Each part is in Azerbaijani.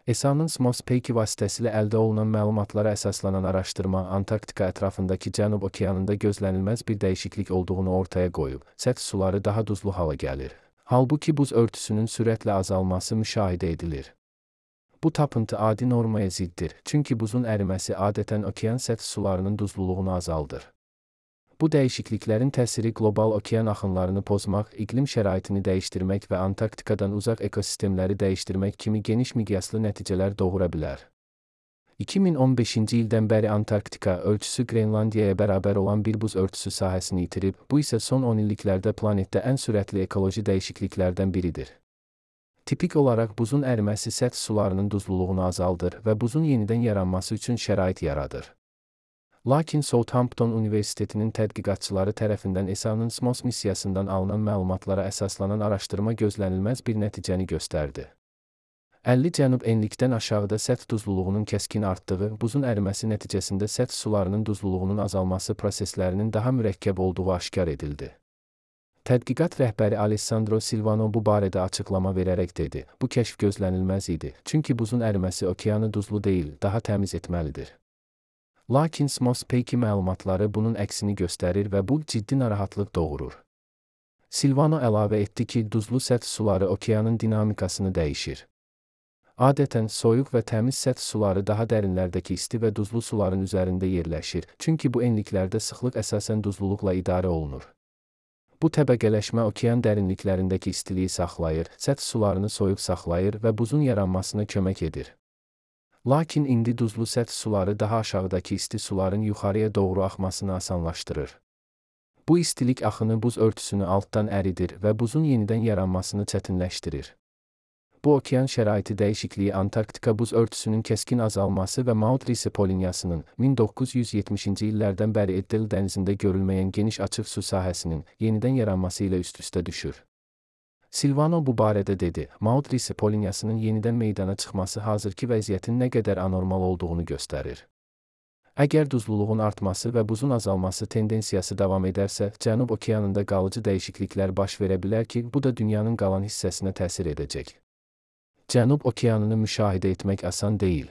ESA-nın SMOS-P2 vasitəsilə əldə olunan məlumatlara əsaslanan araşdırma Antarktika ətrafındakı Cənub okeanında gözlənilməz bir dəyişiklik olduğunu ortaya qoyub, səth suları daha duzlu hala gəlir. Halbuki buz örtüsünün sürətlə azalması müşahidə edilir. Bu tapıntı adi normaya ziddir, çünki buzun əriməsi adətən okean səth sularının duzluluğunu azaldır. Bu dəyişikliklərin təsiri qlobal okean axınlarını pozmaq, iqlim şəraitini dəyişdirmək və Antarktikadan uzaq ekosistemləri dəyişdirmək kimi geniş miqyaslı nəticələr doğura bilər. 2015-ci ildən bəri Antarktika ölçüsü Qrenlandiyaya bərabər olan bir buz örtüsü sahəsini itirib, bu isə son 10 illiklərdə planetdə ən sürətli ekoloji dəyişikliklərdən biridir. Tipik olaraq buzun əriməsi səth sularının duzluluğunu azaldır və buzun yenidən yaranması üçün şərait yaradır. Lakin Southampton Universitetinin tədqiqatçıları tərəfindən ESA-nın SMOS missiyasından alınan məlumatlara əsaslanan araşdırma gözlənilməz bir nəticəni göstərdi. 50 cənub enlikdən aşağıda səth duzluluğunun kəskin artdığı, buzun əriməsi nəticəsində səth sularının duzluluğunun azalması proseslərinin daha mürəkkəb olduğu aşkar edildi. Tədqiqat rəhbəri Alessandro Silvano bu barədə açıqlama verərək dedi: "Bu kəşf gözlənilməz idi, çünki buzun əriməsi okeanı duzlu deyil, daha təmiz etməlidir." Lakin SMOS-P2 məlumatları bunun əksini göstərir və bu ciddi narahatlıq doğurur. Silvano əlavə etdi ki, duzlu səth suları okeanın dinamikasını dəyişir. Adətən soyuq və təmiz səth suları daha dərinlərdəki isti və duzlu suların üzərində yerləşir, çünki bu enliklərdə sıxlıq əsasən duzluluqla idarə olunur. Bu təbəqələşmə okean dərinliklərindəki istiliyi saxlayır, səth sularını soyuq saxlayır və buzun yaranmasına kömək edir. Lakin indi duzlu səth suları daha aşağıdakı isti suların yuxarıya doğru axmasını asanlaşdırır. Bu istilik axını buz örtüsünü altdan əridir və buzun yenidən yaranmasını çətinləşdirir. Bu okean şəraiti dəyişikliyi Antarktika buz örtüsünün kəskin azalması və Maudsley Polinyasının 1970-ci illərdən bəri Eddel dənizində görülməyən geniş açıq su sahəsinin yenidən yaranması ilə üst-üstə düşür. Silvano bu barədə dedi: "Maudsley Polinyasının yenidən meydana çıxması hazırki vəziyyətin nə qədər anormal olduğunu göstərir. Əgər duzluluğun artması və buzun azalması tendensiyası davam edərsə, Cənub okeanında qalıcı dəyişikliklər baş verə bilər ki, bu da dünyanın qalan hissəsinə təsir edəcək." Cənub okeanını müşahidə etmək asan deyil.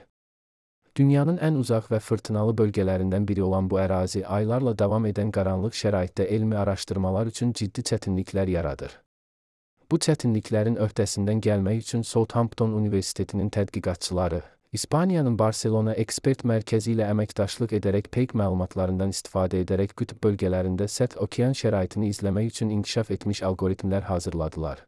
Dünyanın ən uzaq və fırtınalı bölgələrindən biri olan bu ərazi aylarla davam edən qaranlıq şəraitdə elmi araşdırmalar üçün ciddi çətinliklər yaradır. Bu çətinliklərin öhdəsindən gəlmək üçün Southampton Universitetinin tədqiqatçıları, İspaniyanın Barcelona ekspert mərkəzi ilə əməkdaşlıq edərək PEG məlumatlarından istifadə edərək qütb bölgələrində səth okean şəraitini izləmək üçün inkişaf etmiş alqoritmlər hazırladılar.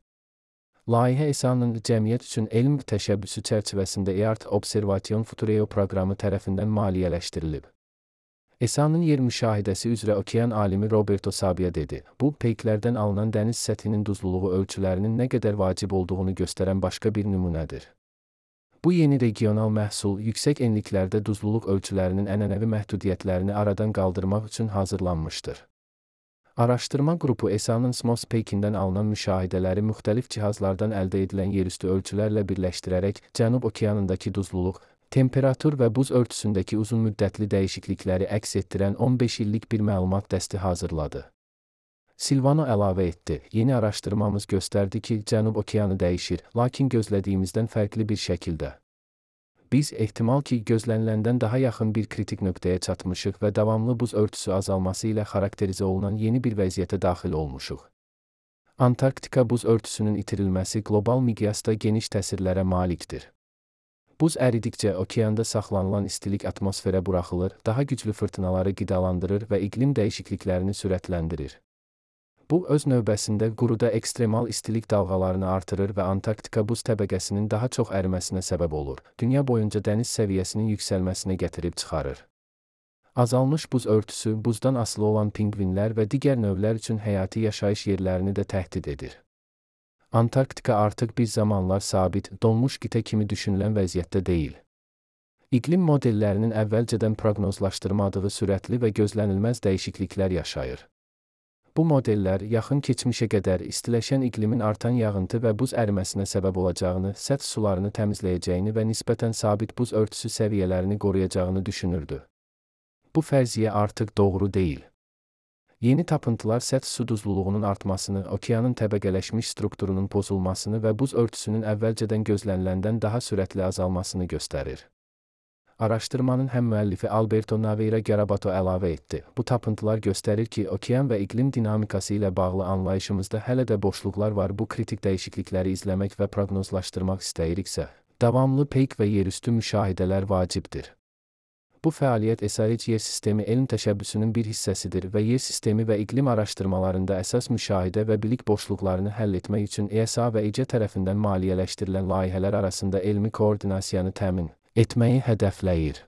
Layihə ESA-nın cəmiyyət üçün elm təşəbbüsü çərçivəsində EART Observation Futureo proqramı tərəfindən maliyyələşdirilib. ESA-nın yer müşahidəsi üzrə okean alimi Roberto Sabia dedi: "Bu, peyklərdən alınan dəniz səthinin duzluluğu ölçülərinin nə qədər vacib olduğunu göstərən başqa bir nümunədir." Bu yeni regional məhsul yüksək enliklərdə duzluluq ölçülərinin ənənəvi məhdudiyyətlərini aradan qaldırmaq üçün hazırlanmışdır. Araşdırma qrupu ESA-nın SMOS-P2-dən alınan müşahidələri müxtəlif cihazlardan əldə edilən yerüstü ölçülərlə birləşdirərək Cənub okeanındakı duzluluq, temperatur və buz örtüsündəki uzunmüddətli dəyişiklikləri əks etdirən 15 illik bir məlumat dəsti hazırladı. Silvano əlavə etdi: "Yeni araşdırmamız göstərdi ki, Cənub okeanı dəyişir, lakin gözlədiyimizdən fərqli bir şəkildə. Biz ehtimal ki, gözləniləndən daha yaxın bir kritik nöqtəyə çatmışıq və davamlı buz örtüsü azalması ilə xarakterizə olunan yeni bir vəziyyətə daxil olmuşuq." Antarktika buz örtüsünün itirilməsi qlobal miqyasda geniş təsirlərə malikdir. Buz əridikcə okeanda saxlanılan istilik atmosferə buraxılır, daha güclü fırtınaları qidalandırır və iqlim dəyişikliklərini sürətləndirir. Bu, öz növbəsində quruda ekstremal istilik dalğalarını artırır və Antarktika buz təbəqəsinin daha çox əriməsinə səbəb olur, dünya boyunca dəniz səviyyəsinin yüksəlməsinə gətirib çıxarır. Azalmış buz örtüsü, buzdan asılı olan pinqvinlər və digər növlər üçün həyati yaşayış yerlərini də təhdid edir. Antarktika artıq bir zamanlar sabit, donmuş qitə kimi düşünülən vəziyyətdə deyil. İqlim modellərinin əvvəlcədən proqnozlaşdırmadığı sürətli və gözlənilməz dəyişikliklər yaşayır. Bu modellər yaxın keçmişə qədər istiləşən iqlimin artan yağıntı və buz əriməsinə səbəb olacağını, səth sularını təmizləyəcəyini və nisbətən sabit buz örtüsü səviyyələrini qoruyacağını düşünürdü. Bu fərziyyə artıq doğru deyil. Yeni tapıntılar səth su duzluluğunun artmasını, okeanın təbəqələşmiş strukturunun pozulmasını və buz örtüsünün əvvəlcədən gözləniləndən daha sürətli azalmasını göstərir. Araşdırmanın həm müəllifi Alberto Naveira Garabato əlavə etdi. Bu tapıntılar göstərir ki, okean və iqlim dinamikası ilə bağlı anlayışımızda hələ də boşluqlar var. Bu kritik dəyişiklikləri izləmək və proqnozlaşdırmaq istəyiriksə, davamlı peyk və yerüstü müşahidələr vacibdir. Bu fəaliyyət SAH yer sistemi elm təşəbbüsünün bir hissəsidir və yer sistemi və iqlim araşdırmalarında əsas müşahidə və bilik boşluqlarını həll etmək üçün ESA və İC tərəfindən maliyyələşdirilən layihələr arasında elmi koordinasiyanı təmin etməyi hədəfləyir.